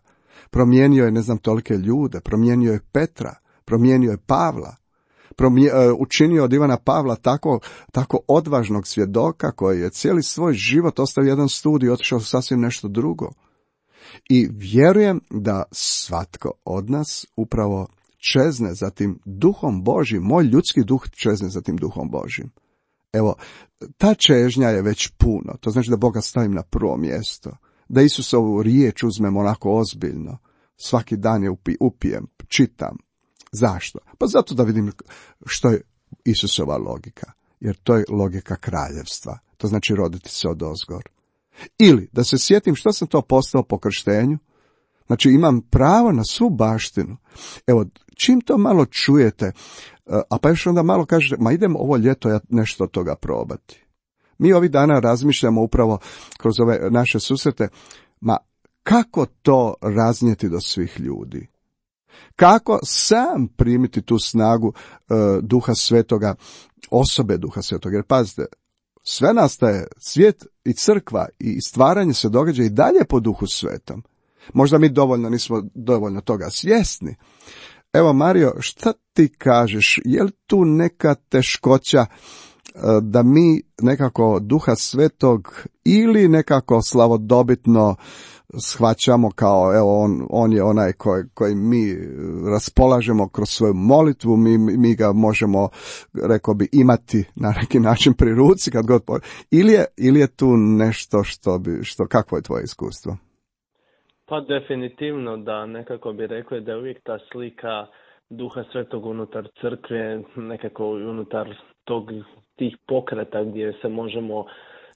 Promijenio je, ne znam, tolike ljude, promijenio je Petra, promijenio je Pavla, promije, učinio od Ivana Pavla tako, tako odvažnog svjedoka koji je cijeli svoj život ostavio jedan studij i otišao sasvim nešto drugo. I vjerujem da svatko od nas upravo čezne za tim duhom Božjim, moj ljudski duh čezne za tim duhom Božjim. Evo, ta čežnja je već puno, to znači da Boga stavim na prvo mjesto, da Isusovu riječ uzmem onako ozbiljno, svaki dan je upi, upijem, čitam. Zašto? Pa zato da vidim što je Isusova logika, jer to je logika kraljevstva, to znači roditi se odozgor. Ili da se sjetim što sam to postao po krštenju, znači imam pravo na svu baštinu. Evo, čim to malo čujete, a pa još onda malo kažete, ma idem ovo ljeto ja nešto od toga probati. Mi ovih dana razmišljamo upravo kroz ove naše susrete, ma kako to raznijeti do svih ljudi? Kako sam primiti tu snagu e, Duha Svetoga, osobe Duha Svetoga? Jer pazite, sve nastaje, svijet i crkva i stvaranje se događa i dalje po Duhu Svetom. Možda mi dovoljno nismo dovoljno toga svjesni. Evo, Mario, šta ti kažeš? Je li tu neka teškoća da mi nekako Duha Svetog ili nekako slavodobitno shvaćamo kao, evo, on, on je onaj koji, koji mi raspolažemo kroz svoju molitvu, mi, mi ga možemo, rekao bi, imati na neki način pri ruci kad god po... ili je, ili je tu nešto što bi, što, kakvo je tvoje iskustvo? Pa definitivno da nekako bi rekli da je uvijek ta slika Duha Svetog unutar crkve, nekako unutar tog, tih pokreta gdje se možemo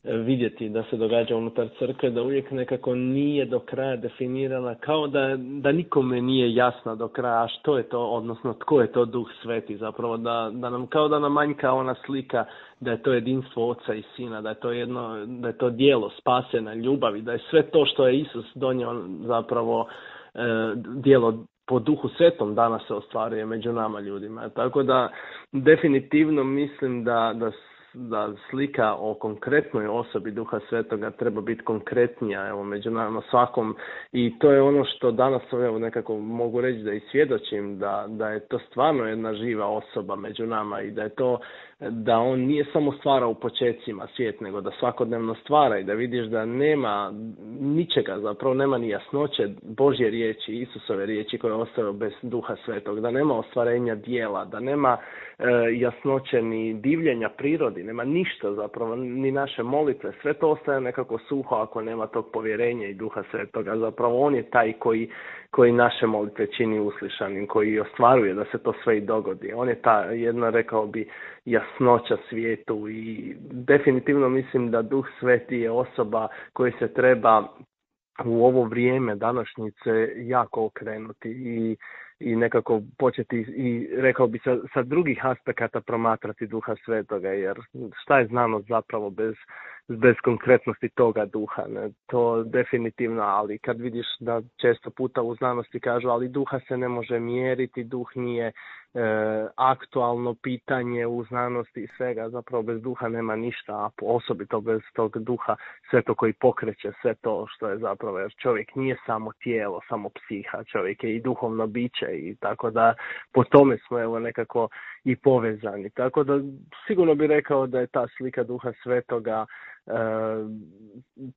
vidjeti da se događa unutar crkve, da uvijek nekako nije do kraja definirana, kao da, da nikome nije jasno do kraja što je to, odnosno tko je to Duh Sveti, zapravo da, da nam, kao da nam manjka ona slika da je to jedinstvo Oca i Sina, da je to jedno, da je to djelo spasena ljubavi, da je sve to što je Isus donio zapravo e, djelo po Duhu Svetom danas se ostvaruje među nama ljudima. Tako da definitivno mislim da, da da slika o konkretnoj osobi Duha Svetoga treba biti konkretnija, evo, među nama svakom, i to je ono što danas, evo, nekako mogu reći da i svjedočim da, da je to stvarno jedna živa osoba među nama i da je to, da on nije samo stvara u počecima svijet, nego da svakodnevno stvara i da vidiš da nema ničega, zapravo nema ni jasnoće Božje riječi, Isusove riječi koje je ostavio bez Duha Svetog, da nema ostvarenja dijela, da nema e, jasnoće ni divljenja prirodi, nema ništa zapravo, ni naše molitve, sve to ostaje nekako suho ako nema tog povjerenja i Duha Svetoga. Zapravo on je taj koji, koji naše molitve čini uslišanim, koji ostvaruje da se to sve i dogodi. On je ta jedna, rekao bi, jasnoća svijetu i definitivno mislim da Duh Sveti je osoba koji se treba u ovo vrijeme današnjice jako okrenuti i i nekako početi i rekao bi sa, sa drugih aspekata promatrati Duha Svetoga, jer šta je znanost zapravo bez, bez konkretnosti toga duha, ne? To definitivno, ali kad vidiš da često puta u znanosti kažu ali duha se ne može mjeriti, duh nije e, aktualno pitanje u znanosti i svega, zapravo bez duha nema ništa, a osobito bez tog Duha Svetog koji pokreće sve to što je zapravo, jer čovjek nije samo tijelo, samo psiha, čovjek je i duhovno biće i tako da po tome smo evo nekako i povezani. Tako da sigurno bih rekao da je ta slika Duha Svetoga e,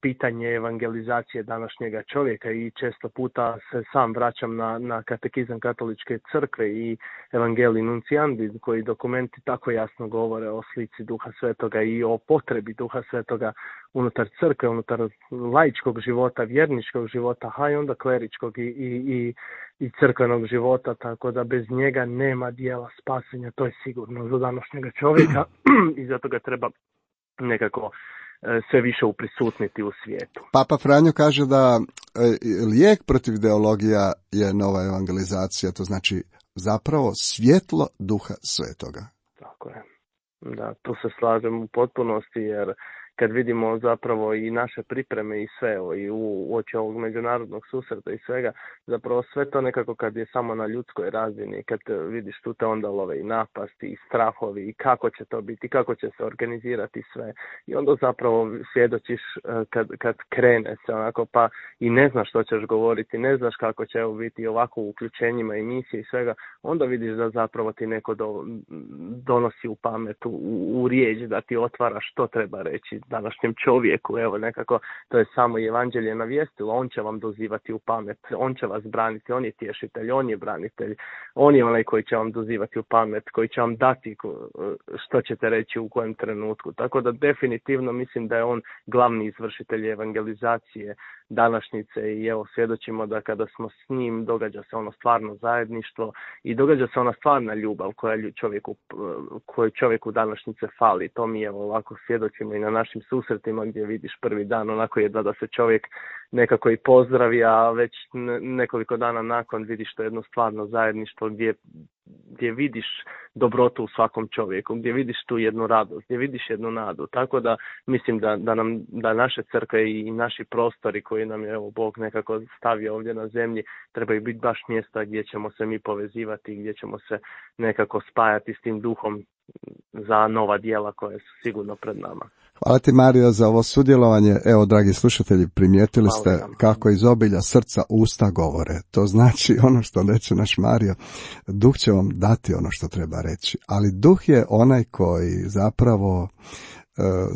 pitanje evangelizacije današnjega čovjeka i često puta se sam vraćam na, na katekizam katoličke crkve i Evangelii Nunciandi, koji dokumenti tako jasno govore o slici Duha Svetoga i o potrebi Duha Svetoga unutar crkve, unutar laičkog života, vjerničkog života, a i onda kleričkog i, i, i, i crkvenog života, tako da bez njega nema dijela spasenja, to je sigurno za današnjega čovjeka i zato ga treba nekako sve više uprisutniti u svijetu. Papa Franjo kaže da lijek protiv ideologija je nova evangelizacija, to znači zapravo svjetlo Duha Svetoga. Tako je. Da, tu se slažem u potpunosti, jer kad vidimo zapravo i naše pripreme i sve, i u oči ovog međunarodnog susreta i svega, zapravo sve to nekako kad je samo na ljudskoj razini, kad vidiš tu te onda love i napasti i strahovi i kako će to biti, kako će se organizirati sve. I onda zapravo svjedočiš kad, kad krene se onako, pa i ne znaš što ćeš govoriti, ne znaš kako će evo biti ovako u uključenjima emisije i svega, onda vidiš da zapravo ti neko do, donosi u pamet, u, u riječ, da ti otvara što treba reći današnjem čovjeku, evo nekako to je samo evanđelje navijestilo, on će vam dozivati u pamet, on će vas braniti, on je tješitelj, on je branitelj, on je onaj koji će vam dozivati u pamet, koji će vam dati što ćete reći u kojem trenutku, tako da definitivno mislim da je on glavni izvršitelj evangelizacije današnjice i evo svjedočimo da kada smo s njim događa se ono stvarno zajedništvo i događa se ona stvarna ljubav koja čovjeku, koju čovjeku današnjice fali. To mi evo ovako svjedočimo i na našim susretima gdje vidiš prvi dan onako jedva da se čovjek nekako i pozdravi, a već nekoliko dana nakon vidiš to jedno stvarno zajedništvo gdje gdje vidiš dobrotu u svakom čovjeku, gdje vidiš tu jednu radost, gdje vidiš jednu nadu. Tako da mislim da, da nam da naše crkve i naši prostori koji nam je evo Bog nekako stavio ovdje na zemlji trebaju biti baš mjesta gdje ćemo se mi povezivati, gdje ćemo se nekako spajati s tim duhom za nova djela koja su sigurno pred nama. Hvala ti, Mario, za ovo sudjelovanje. Evo, dragi slušatelji, primijetili ste kako iz obilja srca usta govore. To znači ono što reče naš Mario, duh će vam dati ono što treba reći. Ali duh je onaj koji zapravo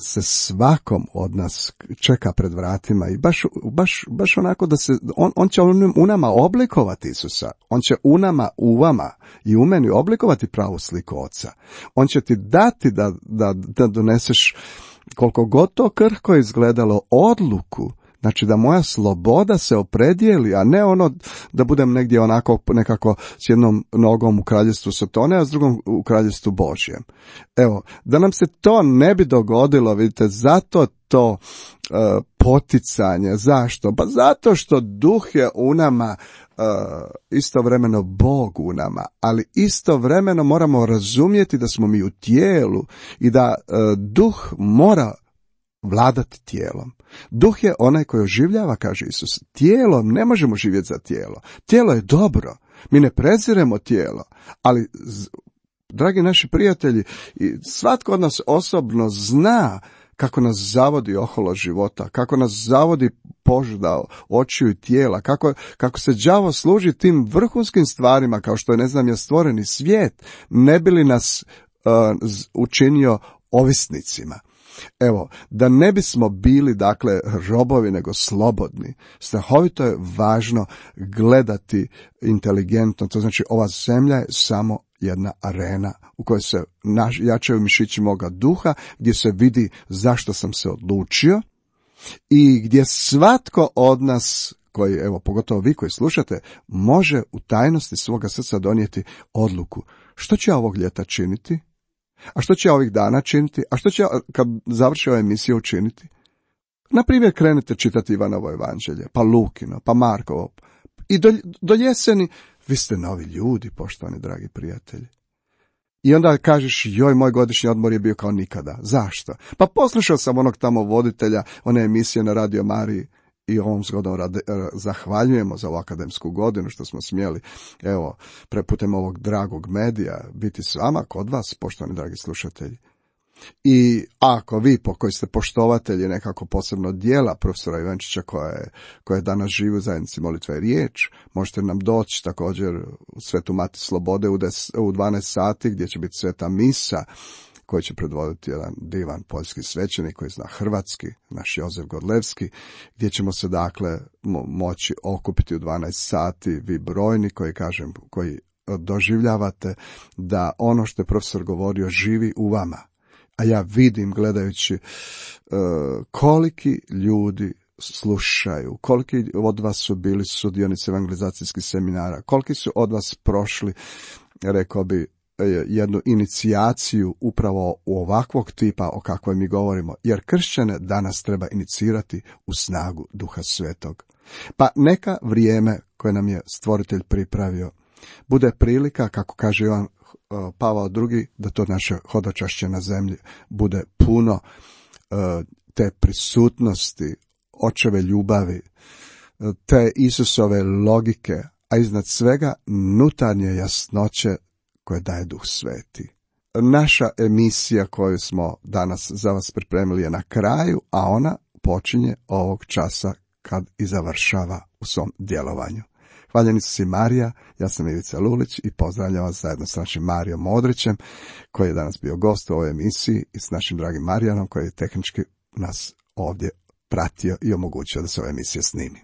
se svakom od nas čeka pred vratima i baš, baš, baš onako da se, on, on će u nama oblikovati Isusa, on će u nama, u vama i u meni oblikovati pravu sliku Oca. On će ti dati da, da, da doneseš, koliko god to krhko izgledalo, odluku, znači da moja sloboda se opredijeli, a ne ono da budem negdje onako nekako s jednom nogom u kraljestvu Sotone, a s drugom u kraljestvu Božjem. Evo, da nam se to ne bi dogodilo, vidite, zato to uh, poticanje. Zašto? Pa zato što duh je u nama, uh, istovremeno Bog u nama, ali istovremeno moramo razumjeti da smo mi u tijelu i da uh, duh mora vladati tijelom. Duh je onaj koji oživljava, kaže Isus. Tijelom ne možemo živjeti za tijelo. Tijelo je dobro. Mi ne preziremo tijelo, ali, dragi naši prijatelji, svatko od nas osobno zna kako nas zavodi oholo života, kako nas zavodi požuda očiju i tijela, kako, kako se đavo služi tim vrhunskim stvarima, kao što je, ne znam, je stvoreni svijet, ne bi li nas uh, učinio ovisnicima. Evo, da ne bismo bili, dakle, robovi, nego slobodni, strahovito je važno gledati inteligentno, to znači ova zemlja je samo jedna arena u kojoj se naš, jačaju mišići moga duha, gdje se vidi zašto sam se odlučio i gdje svatko od nas, koji, evo, pogotovo vi koji slušate, može u tajnosti svoga srca donijeti odluku. Što ću ja ovog ljeta činiti? A što će ja ovih dana činiti? A što će ja, kad završi ova emisija, učiniti? Naprimjer, krenete čitati Ivanovo evanđelje, pa Lukino, pa Markovo. I do, do jeseni vi ste novi ljudi, poštovani dragi prijatelji. I onda kažeš, joj, moj godišnji odmor je bio kao nikada. Zašto? Pa poslušao sam onog tamo voditelja, one emisije na Radio Mariji, i ovom zgodom rade, zahvaljujemo za ovu akademsku godinu što smo smjeli, evo, preputem ovog dragog medija biti s vama, kod vas, poštovani dragi slušatelji. I ako vi, po koji ste poštovatelji nekako posebno dijela profesora Ivančića koja je, koja je danas živi u zajednici Molitva i riječ, možete nam doći također u Svetu Mati Slobode u, des, u dvanaest sati gdje će biti sveta misa koji će predvoditi jedan divan poljski svećenik koji zna hrvatski, naš Jozef Godlevski, gdje ćemo se dakle mo- moći okupiti u dvanaest sati, vi brojni koji, kažem, koji doživljavate da ono što je profesor govorio živi u vama. A ja vidim, gledajući uh, koliki ljudi slušaju, koliki od vas su bili sudionici evangelizacijskih seminara, koliki su od vas prošli, rekao bi, jednu inicijaciju upravo u ovakvog tipa o kakvoj mi govorimo, jer kršćane danas treba inicirati u snagu Duha Svetog. Pa neka vrijeme koje nam je Stvoritelj pripravio bude prilika, kako kaže Ivan Pavao drugi, da to naše hodočašće na zemlji bude puno te prisutnosti, Očeve ljubavi, te Isusove logike, a iznad svega nutarnje jasnoće koje daje Duh Sveti. Naša emisija koju smo danas za vas pripremili je na kraju, a ona počinje ovog časa kad i završava u svom djelovanju. Hvaljeni su si Marija, ja sam Ivica Lulić i pozdravljam vas zajedno s našim Marijom Modrićem, koji je danas bio gost u ovoj emisiji, i s našim dragim Marijanom, koji je tehnički nas ovdje pratio i omogućio da se ova emisija snimi.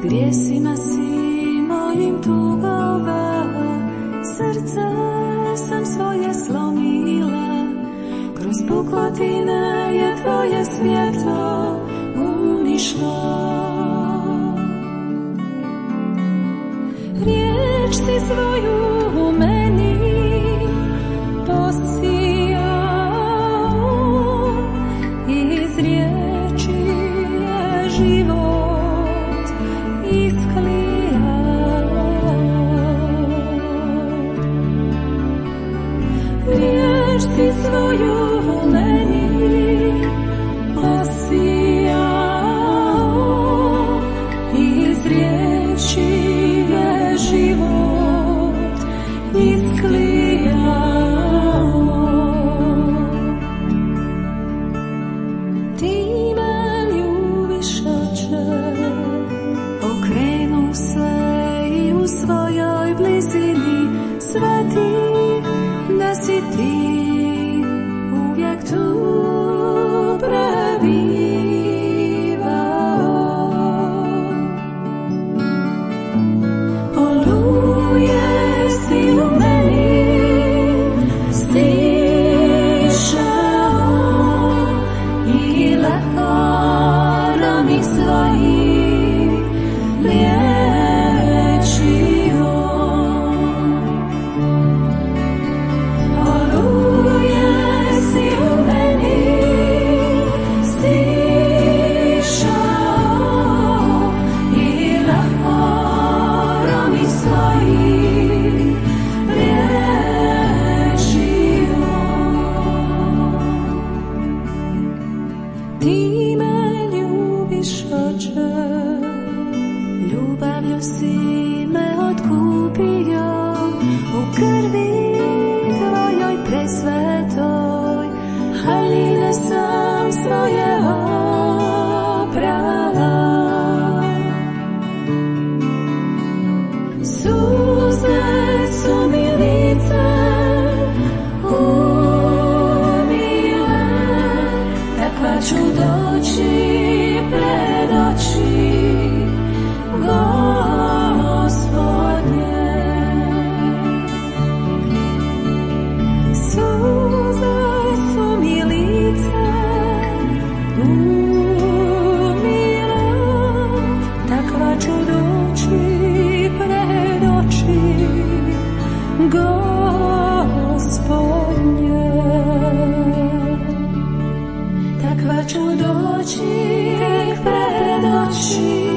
Grijesima si mojim tugova, srce sam svoje pukotine je tvoje svjetlo unišlo. Riječ si svoju u meni posijao, iz riječi je život isklijao. Riječ si svoju u meni posijao, iz riječi je život isklijao. Ti me ljubiš, Oče, okrenu se i u svojoj blizini sveti da si ti uvijek tu prebivao. Oluje si u meni stišao i lekarami svojim liječio. Oluje si u meni stišao i lekarami svojim liječio. Ti me ljubiš, Oče, ljubavlju si me otkupio, u krvi tvojoj presvetoj haljine sam svoje oprala. Suze su mi lice umile, takva ću doći pred oči Gospodnje. Suze su mi lice umile, takva ću doći pred oči Gospodnje. Takva ću doći pred oči